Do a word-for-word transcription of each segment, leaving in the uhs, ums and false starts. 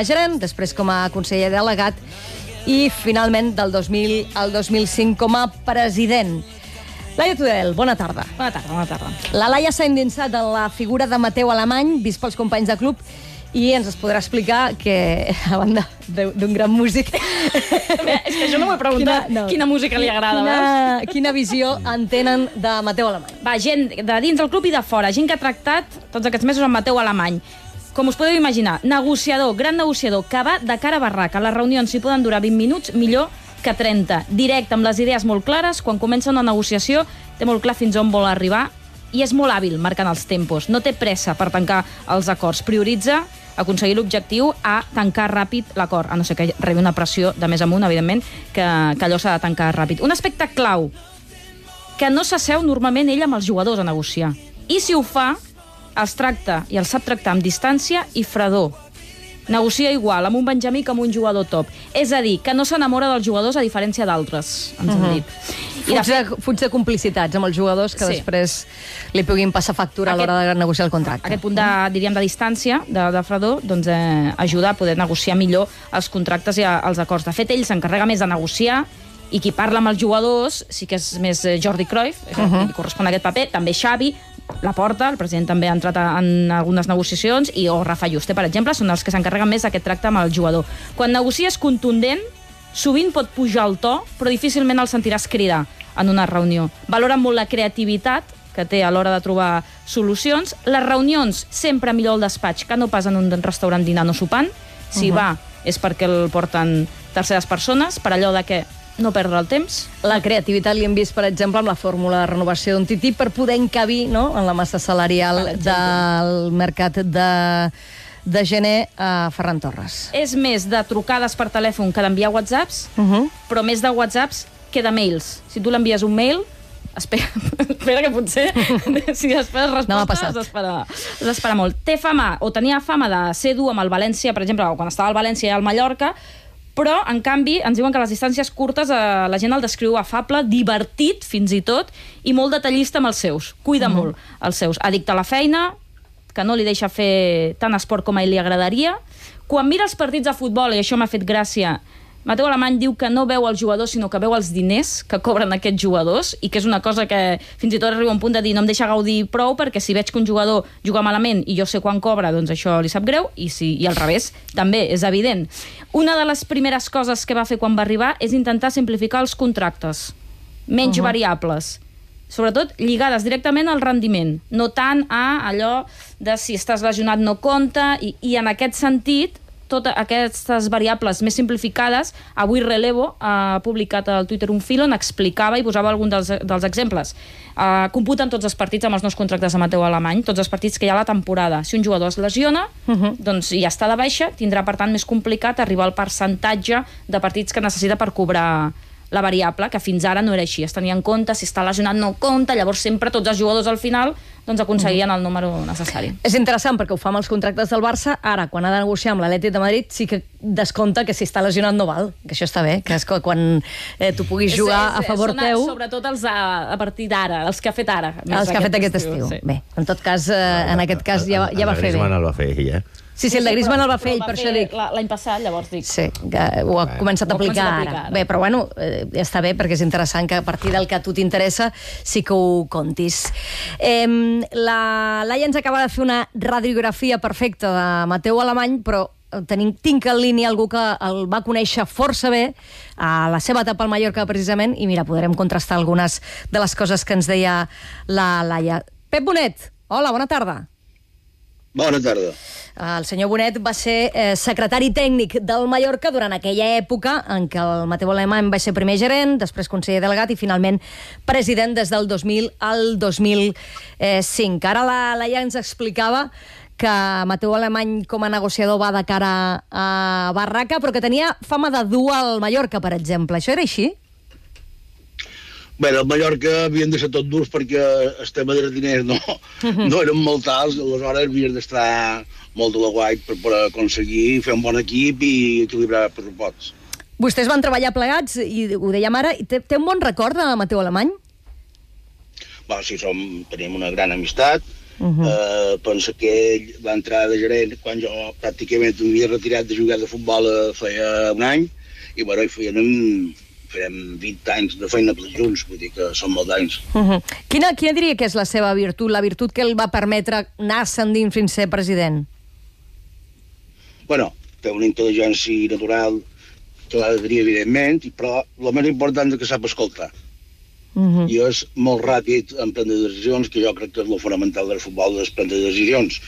gerent, després com a conseller delegat i finalment del dos mil al dos mil cinc com a president. Laia Tudel, bona tarda. Bona tarda, bona tarda. La Laia s'ha endinsat en la figura de Mateu Alemany, vist pels companys de club, i ens es podrà explicar que, a banda d'un gran músic... És que jo no m'ho he preguntat quina, no. quina música li agrada. Quina, quina visió en tenen de Mateu Alemany? Va, gent de dins del club i de fora, gent que ha tractat tots aquests mesos amb Mateu Alemany. Com us podeu imaginar, negociador, gran negociador, que va de cara a barraca. Les reunions, si poden durar vint minuts, millor que trenta. Directe, amb les idees molt clares, quan comença una negociació, té molt clar fins on vol arribar i és molt hàbil marcant els tempos. No té pressa per tancar els acords. Prioritza aconseguir l'objectiu a tancar ràpid l'acord, a no ser que rebi una pressió de més amunt, evidentment, que, que allò s'ha de tancar ràpid. Un aspecte clau, que no s'asseu normalment ell amb els jugadors a negociar. I si ho fa, els tracta i els sap tractar amb distància i fredor. Negocia igual amb un benjamí que amb un jugador top. És a dir, que no s'enamora dels jugadors a diferència d'altres, ens han dit. I fuig, de, fuig de complicitats amb els jugadors que sí. després li puguin passar factura aquest, a l'hora de negociar el contracte. Aquest punt de, diríem, de distància, de, de fredor, doncs eh, ajuda a poder negociar millor els contractes i els acords. De fet, ell s'encarrega més de negociar i qui parla amb els jugadors sí que és més Jordi Cruyff, uh -huh. li correspon aquest paper, també Xavi, Laporta, el president també ha entrat en algunes negociacions, i o Rafa Juste, per exemple, són els que s'encarreguen més d'aquest tracte amb el jugador. Quan negocies contundent, sovint pot pujar el to, però difícilment el sentiràs cridar en una reunió. Valora molt la creativitat que té a l'hora de trobar solucions. Les reunions, sempre millor al despatx que no pas en un restaurant dinant o sopant. Si uh -huh. va, és perquè el porten terceres persones, per allò de que no perdre el temps. La creativitat li hem vist, per exemple, amb la fórmula de renovació d'un Tití per poder encabir, no?, en la massa salarial del mercat de, de gener a Ferran Torres. És més de trucades per telèfon que d'enviar whatsapps, uh -huh. però més de whatsapps que de mails. Si tu l'envies un mail, espera, espera que potser si esperes resposta has d'esperar no molt. Té fama, o tenia fama de ser dur amb el València, per exemple, quan estava al València i al Mallorca, però, en canvi, ens diuen que a les distàncies curtes eh, la gent el descriu afable, divertit, fins i tot, i molt detallista amb els seus. Cuida uh -huh. molt els seus. Addicte a la feina, que no li deixa fer tant esport com a ell li agradaria. Quan mira els partits de futbol, i això m'ha fet gràcia, Mateu Alemany diu que no veu els jugadors, sinó que veu els diners que cobren aquests jugadors, i que és una cosa que fins i tot arriba a un punt de dir no em deixa gaudir prou, perquè si veig que un jugador juga malament i jo sé quan cobra, doncs això li sap greu, i, si, i al revés també, és evident. Una de les primeres coses que va fer quan va arribar és intentar simplificar els contractes. Menys uh -huh. variables. Sobretot lligades directament al rendiment, no tant a allò de si estàs lesionat no compta, i, i en aquest sentit totes aquestes variables més simplificades, avui Relevo ha publicat al Twitter un fil on explicava i posava algun dels, dels exemples. Uh, computen tots els partits amb els nous contractes de Mateu Alemany, tots els partits que hi ha a la temporada. Si un jugador es lesiona, uh -huh. doncs ja està de baixa, tindrà per tant més complicat arribar al percentatge de partits que necessita per cobrar la variable, que fins ara no era així. Es tenia en compte, si està lesionat no compta, llavors sempre tots els jugadors al final doncs aconseguien el número necessari. És interessant perquè ho fa amb els contractes del Barça. Ara, quan ha de negociar amb l'Atlètic de Madrid, sí que descompta que si està lesionat no val, que això està bé, que és quan eh, tu puguis jugar és, és, a favor són, teu... Sobretot els a, a partir d'ara, els que ha fet ara. Els que ha fet aquest estiu. estiu. Sí. Bé, en tot cas, eh, en aquest cas ja, ja va fer bé. Griezmann el va fer ell, eh? Sí, sí, el de Griezmann el va fer ell, per això dic. L'any passat, llavors dic. Sí, que ho ha començat a aplicar ara. Bé, però bueno, eh, està bé, perquè és interessant que a partir del que a tu t'interessa sí que ho contis. Eh, la Laia ens acaba de fer una radiografia perfecta de Mateu Alemany, però tenim, tinc en línia algú que el va conèixer força bé a la seva etapa al Mallorca, precisament, i mira, podrem contrastar algunes de les coses que ens deia la Laia. Pep Bonet, hola, bona tarda. Bona tarda. El senyor Bonet va ser eh, secretari tècnic del Mallorca durant aquella època en què el Mateu Alemany va ser primer gerent, després conseller delegat i finalment president des del dos mil al dos mil cinc. Ara la Laia ens explicava que Mateu Alemany com a negociador va de cara a barraca, però que tenia fama de dur al Mallorca, per exemple. Això era així? Bé, al Mallorca havien de ser tot durs perquè el tema dels diners no, no eren molt alts, aleshores havies d'estar molt de la guai per, per aconseguir fer un bon equip i equilibrar els pressuposts. Vostès van treballar plegats, i ho dèiem ara, i té, té un bon record de Mateu Alemany? Bé, sí, som, tenim una gran amistat Uh -huh. uh, penso que ell va entrar de gerent quan jo pràcticament havia retirat de jugar de futbol uh, feia un any, i bueno, hi feien, farem vint anys de feina junts, vull dir que són molts anys. Uh -huh. quina, quina diria que és la seva virtut, la virtut que el va permetre anar-se endins fins a ser president? Bueno, té una intel·ligència natural que l'ha de tenir, evidentment, però el més important és que sap escoltar. Uh-huh. I és molt ràpid en prendre decisions, que jo crec que és el fonamental del futbol, és prendre decisions,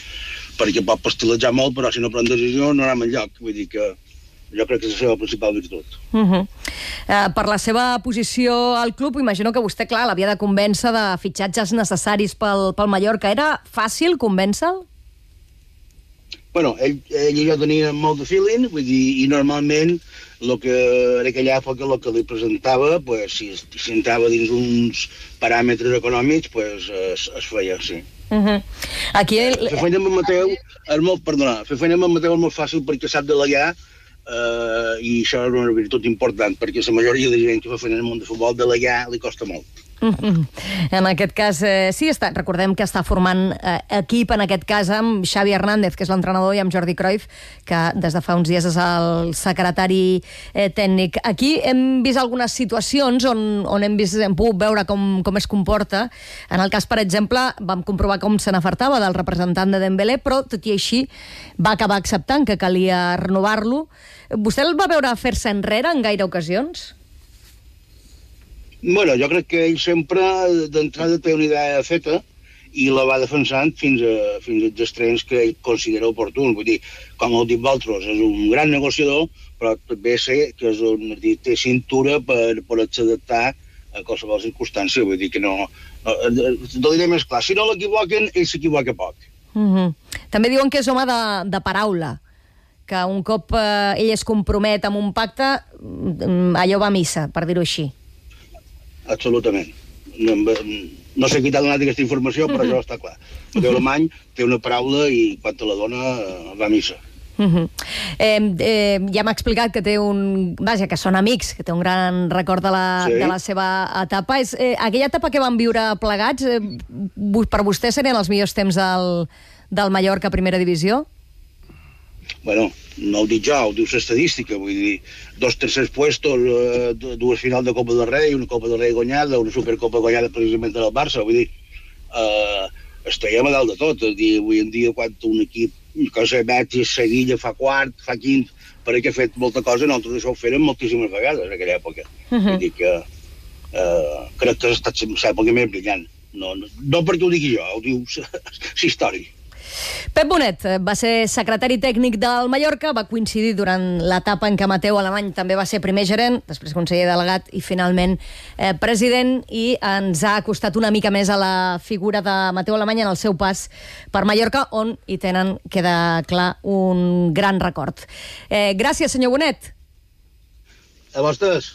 perquè pot pastelejar molt, però si no pren decisions no anem enlloc. Vull dir que jo crec que és la seva principal virtut. Uh-huh. uh, per la seva posició al club, imagino que vostè, clar, l'havia de convèncer de fitxatges necessaris pel, pel Mallorca. Era fàcil convèncer-lo? Bueno, ell, ell i jo teníem molt de feeling, vull dir, i normalment el que en aquella època el que li presentava, pues, si, si entrava dins uns paràmetres econòmics, pues, es, es feia, sí. Uh-huh. Aquí el... Fer feina amb en Mateu és molt, perdona, fer feina amb en Mateu és molt fàcil perquè sap delegar, eh, i això és una virtut important, perquè la majoria de gent que fa feina en el món de futbol, delegar li costa molt. Uh-huh. En aquest cas, eh, sí, està, recordem que està formant eh, equip, en aquest cas amb Xavi Hernández, que és l'entrenador, i amb Jordi Cruyff, que des de fa uns dies és el secretari eh, tècnic. Aquí hem vist algunes situacions on, on hem, vist, hem pogut veure com, com es comporta. En el cas, per exemple, vam comprovar com se n'afartava del representant de Dembélé, però tot i així va acabar acceptant que calia renovar-lo. Vostè el va veure fer-se enrere en gaire ocasions? Bueno, jo crec que ell sempre d'entrada té una idea feta i la va defensant fins, a, fins als extrems que ell considera oportun. Vull dir, com heu dit vosaltres, és un gran negociador, però també sé que és un, dir, té cintura per poder-se adaptar a qualsevol circumstància. Vull dir que no... no T'ho diré més clar, si no l'equivoquen, ell s'equivoca poc. Uh-huh. També diuen que és home de, de paraula, que un cop eh, ell es compromet amb un pacte, allò va a missa, per dir-ho així. Absolutament. No, no sé qui t'ha donat aquesta informació, però això està clar. El teu alemany té una paraula i quan te la dona va a missa. Uh-huh. eh, eh, ja m'ha explicat que té un... Vaja, que són amics, que té un gran record de la, sí. de la seva etapa. És, eh, aquella etapa que van viure plegats, eh, per vostè serien els millors temps del, del Mallorca a primera divisió? Bueno, no ho dic jo, ho diu l'estadística, vull dir, dos tercers puestos, eh, dues finals de Copa del Rei, una Copa del Rei guanyada, una Supercopa guanyada precisament del Barça, vull dir, eh, estiguem a dalt de tot, és dir, avui en dia quan un equip, que sé, Betis, Sevilla, fa quart, fa quint, perquè ha fet molta cosa, nosaltres això ho fèrem moltíssimes vegades en aquella època. Uh-huh. Vull dir que eh, crec que ha estat l'època més brillant. No, no, no perquè ho digui jo, ho diu la història. Pep Bonet va ser secretari tècnic del Mallorca, va coincidir durant l'etapa en què Mateu Alemany també va ser primer gerent, després conseller delegat i finalment eh, president, i ens ha costat una mica més a la figura de Mateu Alemany en el seu pas per Mallorca, on hi tenen, queda clar, un gran record. Eh, gràcies, senyor Bonet. A vostès.